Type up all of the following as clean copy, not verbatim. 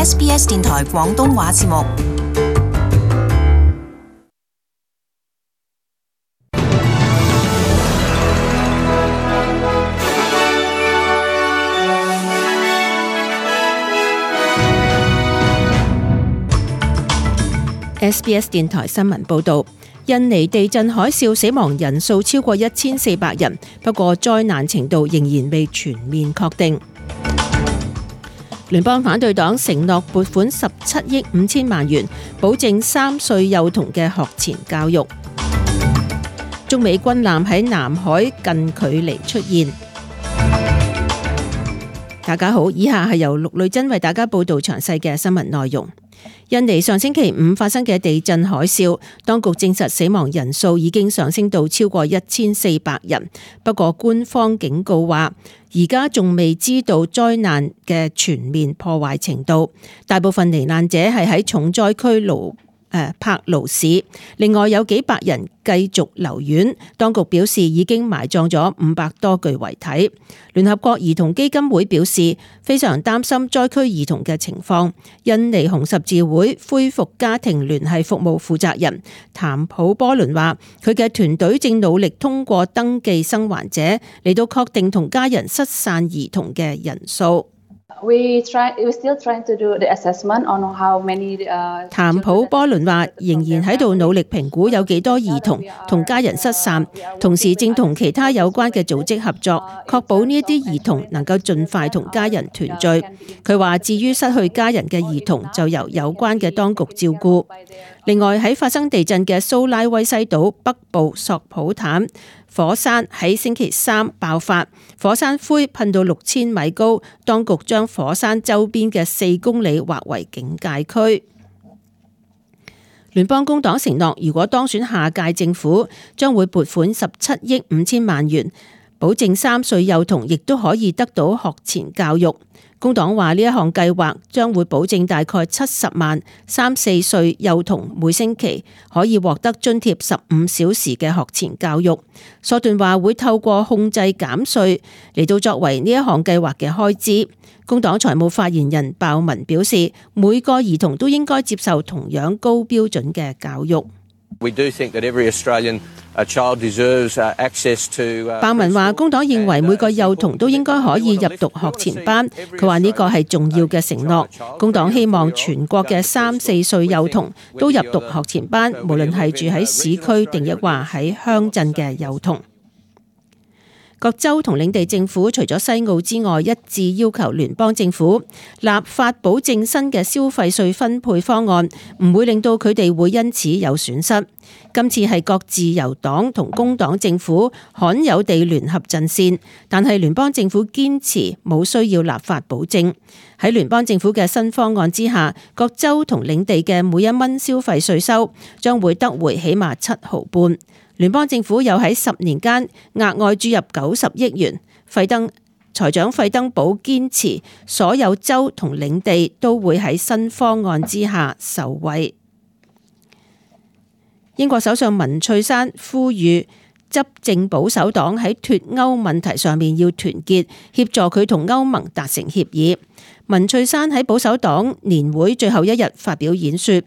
SBS 電台廣東話節目。SBS 電台新聞報導，印尼地震海嘯死亡人數超過1400人，不過災難程度仍然未全面確定。聯邦反對黨承諾撥款17億5千萬元，保證3歲幼童嘅學前教育。中美軍艦喺南海近距離出現。大家好，以下係由陸女珍為大家報導詳細嘅新聞內容。印尼上星期五發生嘅地震海嘯，當局證實死亡人數已經上升到超過1400人。不過官方警告話，而家仲未知道災難嘅全面破壞程度。大部分罹難者係喺重災區柏勞市，另外有幾百人繼續留院。當局表示已經埋葬咗500多具遺體。聯合國兒童基金會表示非常擔心災區兒童嘅情況。印尼紅十字會恢復家庭聯繫服務負責人譚普波倫話，佢嘅團隊正努力通過登記生還者嚟到確定同家人失散兒童嘅人數。譚普波倫話，仍然喺度努力評估有幾多兒童同家人失散，同時正同其他有關嘅組織合作，確保呢一啲兒童能夠盡快同家人團聚。佢話，至於失去家人嘅兒童就由有關嘅當局照顧。另外，喺發生地震嘅蘇拉威西島北部索普坦火山喺星期三爆發，火山灰噴到6000米高，當局將火山周邊嘅4公里劃為警戒區。聯邦工黨承諾，如果當選下屆政府，將會撥款17億5千萬元，保證3歲幼童亦都可以得到學前教育。工黨話呢一項計劃將會保證大概70萬3、4歲幼童每星期可以獲得津貼15小時嘅學前教育。索頓話會透過控制減稅嚟到作為呢一項計劃嘅開支。工黨財務發言人鮑文表示，每個兒童都應該接受同樣高標準嘅教育。鮑文話，工黨認為每個幼童都應該可以入讀學前班。佢話呢個係重要嘅承諾。工黨希望全國嘅3、4歲幼童都入讀學前班，無論係住喺市區定抑或喺鄉鎮嘅幼童。各州同領地政府除咗西澳之外，一致要求聯邦政府立法保證新嘅消費稅分配方案唔會令到佢哋會因此有損失。今次係各自由黨同工黨政府罕有地聯合陣線，但係聯邦政府堅持冇需要立法保證。喺聯邦政府嘅新方案之下，各州同領地嘅每1蚊消費稅收將會得回起碼7毫半。聯邦政府又喺10年間額外注入90億元。財長費登堡堅持所有州同領地都會喺新方案之下受惠。英國首相文翠珊呼籲執政保守黨喺脫歐問題上面要團結，協助佢同歐盟達成協議。文翠珊喺保守黨年會最後一日發表演說，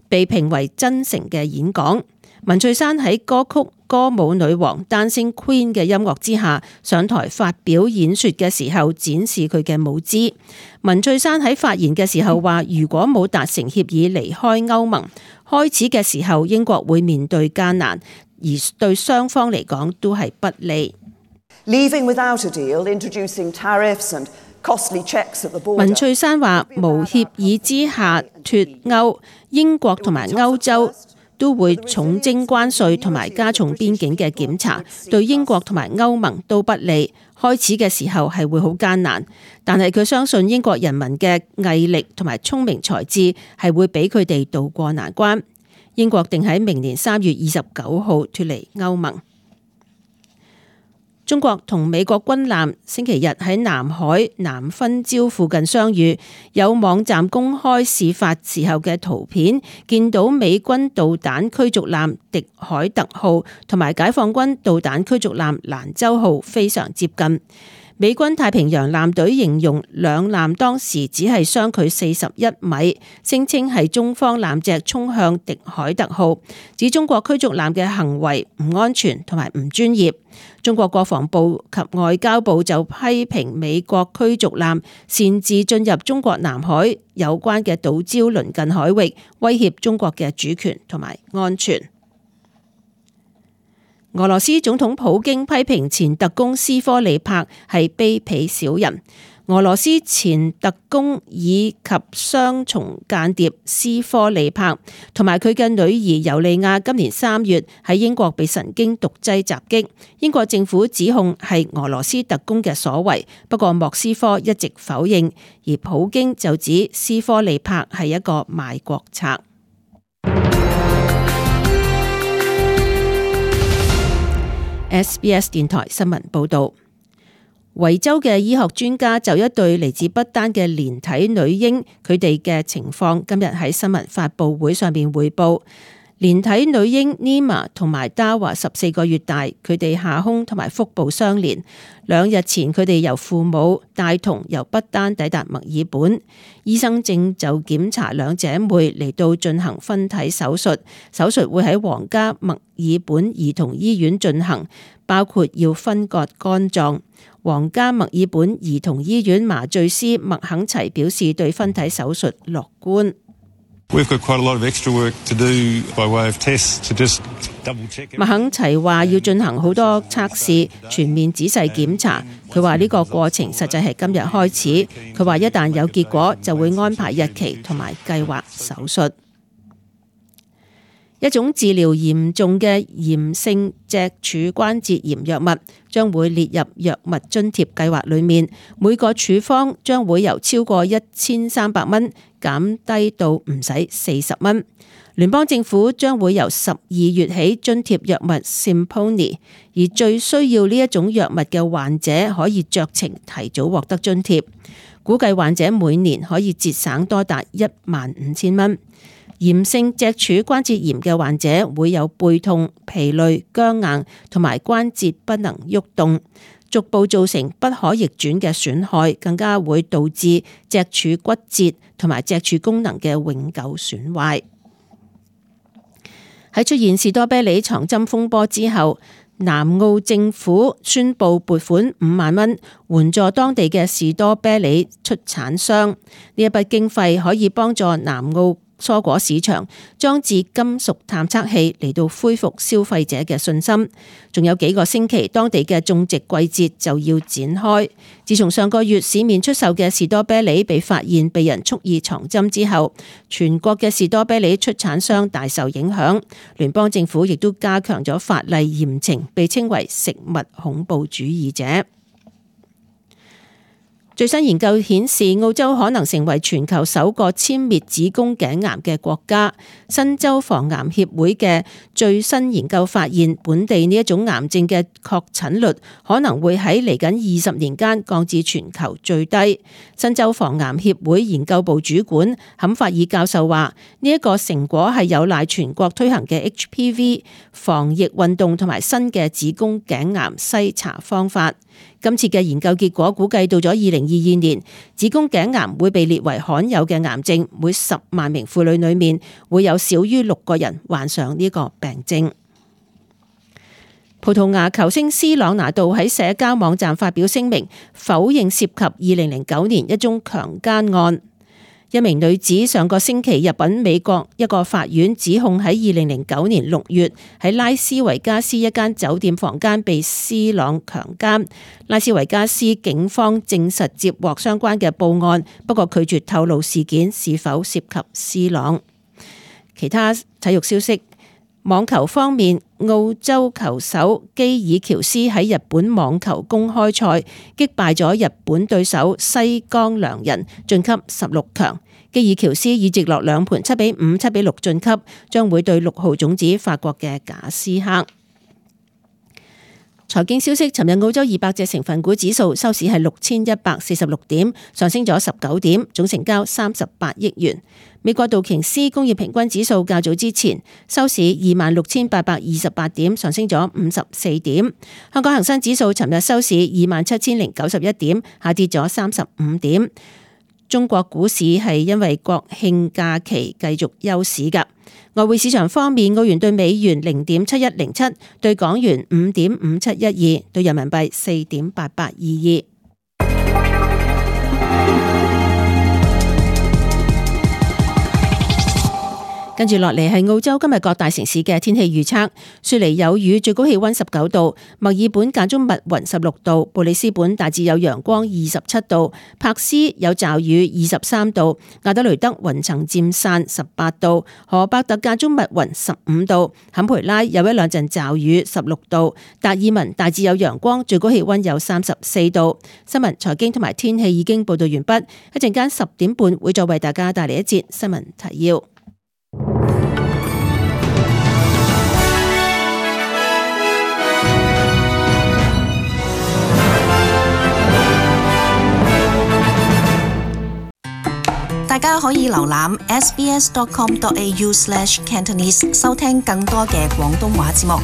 被評為真誠嘅演講。文翠珊喺歌曲歌舞女王 Dancing Queen 嘅音樂之下上台發表演說嘅時候，展示佢嘅舞姿。文翠珊喺發言嘅時候話，如果冇達成協議離開歐盟，開始嘅時候英國會面對艱難，而對雙方嚟講都係不利。文翠珊話，無協議之下脫歐，英國同埋歐洲都會重徵關稅同埋加重邊境嘅檢查，對英國同埋歐盟都不利。開始嘅時候係會好艱難，但係佢相信英國人民嘅毅力同埋聰明才智係會俾佢哋渡過難關。英國定喺明年3月29號脫離歐盟。中國同美國軍艦星期日喺南海南分礁附近相遇，有網站公開事發時候嘅圖片，見到美軍導彈驅逐艦迪海特號同埋解放軍導彈驅逐艦蘭州號非常接近。美軍太平洋艦隊形容兩艦當時只係相距41米，聲稱係中方艦隻衝向迪海特號，指中國驅逐艦嘅行為唔安全同埋唔專業。中國國防部及外交部就批評美國驅逐艦擅自進入中國南海有關嘅島礁鄰近海域，威脅中國嘅主權同埋安全。俄羅斯總統普京批評前特工斯科利帕係卑鄙小人。俄羅斯前特工以及雙重間諜斯科利帕同埋佢嘅女兒尤利亞今年3月喺英國被神經毒劑襲擊，英國政府指控係俄羅斯特工嘅所為，不過莫斯科一直否認，而普京就指斯科利帕係一個賣國賊。SBS 電台新聞報道，維州嘅醫學專家就一對嚟自不丹嘅連體女嬰，佢哋嘅情況今日喺新聞發佈會上面匯報。連體女嬰 Nima 同埋 Dawa 14個月大，佢哋下胸同埋腹部相連。2日前佢哋由父母帶同由不丹抵達墨爾本，醫生正就檢查兩姐妹嚟到進行分體手術，手術會喺皇家墨爾本兒童醫院進行，包括要分割肝臟。皇家墨爾本兒童醫院麻醉師麥肯齊表示對分體手術樂觀。麥肯齊話要進行好多測試，全面仔細檢查。佢話呢個過程實際係今日開始。佢話一旦有結果，就會安排日期同埋計劃手術。一種治療嚴重嘅炎性脊柱關節炎藥物將會列入藥物津貼計劃裏面，每個處方將會由超過1300蚊減低到唔使40蚊。聯邦政府將會由12月起津貼藥物 Simponi， 而最需要呢一種藥物嘅患者可以酌情提早獲得津貼，估計患者每年可以節省多達15000蚊。炎性脊柱關節炎嘅患者會有背痛、疲累、僵硬同埋關節不能喐動，逐步造成不可逆轉嘅損害，更加會導致脊柱骨折同埋脊柱功能嘅永久損壞。喺出現士多啤梨藏針風波之後，南澳政府宣布撥款5萬蚊援助當地嘅士多啤梨出產商，呢一筆經費可以幫助南澳蔬果市場裝置金屬探測器嚟到恢復消費者嘅信心。仲有幾個星期，當地嘅種植季節就要展開。自從上個月市面出售嘅士多啤梨被發現被人蓄意藏針之後，全國嘅士多啤梨出產商大受影響。聯邦政府亦都加強咗法例嚴懲被稱為食物恐怖主義者。最新研究顯示，澳洲可能成為全球首個殲滅子宮頸癌嘅國家。新州防癌協會嘅最新研究發現，本地呢一種癌症嘅確診率可能會喺嚟緊20年間降至全球最低。新州防癌協會研究部主管坎法爾教授話：呢一個成果係有賴全國推行嘅 HPV 防疫運動同埋新嘅子宮頸癌篩查方法。今次嘅研究結果估計到咗2022年，子宮頸癌會被列為罕有嘅癌症，每10萬名婦女裏面會有少於6個人患上呢個病症。葡萄牙球星斯朗拿度喺社交網站發表聲明，否認涉及2009年一宗強姦案。一名女子上個星期入稟美國一個法院，指控喺2009年6月喺拉斯維加斯一間酒店房間被斯朗強姦。拉斯維加斯警方證實接獲相關嘅報案，不過拒絕透露事件是否涉及斯朗。其他體育消息。網球方面，澳洲球手基爾喬斯喺日本網球公開賽擊敗咗日本對手西岡良人，晉級16強。基爾喬斯以直落2盤7-5、7-6晉級，將會對6號種子法國嘅賈斯克。財經消息，尋日澳洲200隻成分股指數收市係6146點，上升咗19點，總成交38億元。美國道瓊斯工業平均指數較早之前收市26,828點，上升咗54點。香港恒生指數尋日收市27,091點，下跌咗35點。中國股市係因為國慶假期繼續休市㗎。外匯市場方面，澳元對美元0.7107，對港元5.5712，對人民幣4.8822。跟住落嚟係澳洲今日各大城市嘅天氣預測。雪梨有雨，最高氣溫19度；墨爾本間中密雲16度；布里斯本大致有陽光27度；柏斯有驟雨23度；亞德雷德雲層漸散18度；荷伯特間中密雲15度；坎培拉有一兩陣驟雨16度；達爾文大致有陽光，最高氣溫有34度。新聞、財經同埋天氣已經報道完畢，一陣間10點半會再為大家帶嚟一節新聞提要。大家可以瀏覽 sbs.com.au/Cantonese 收聽更多嘅廣東話節目。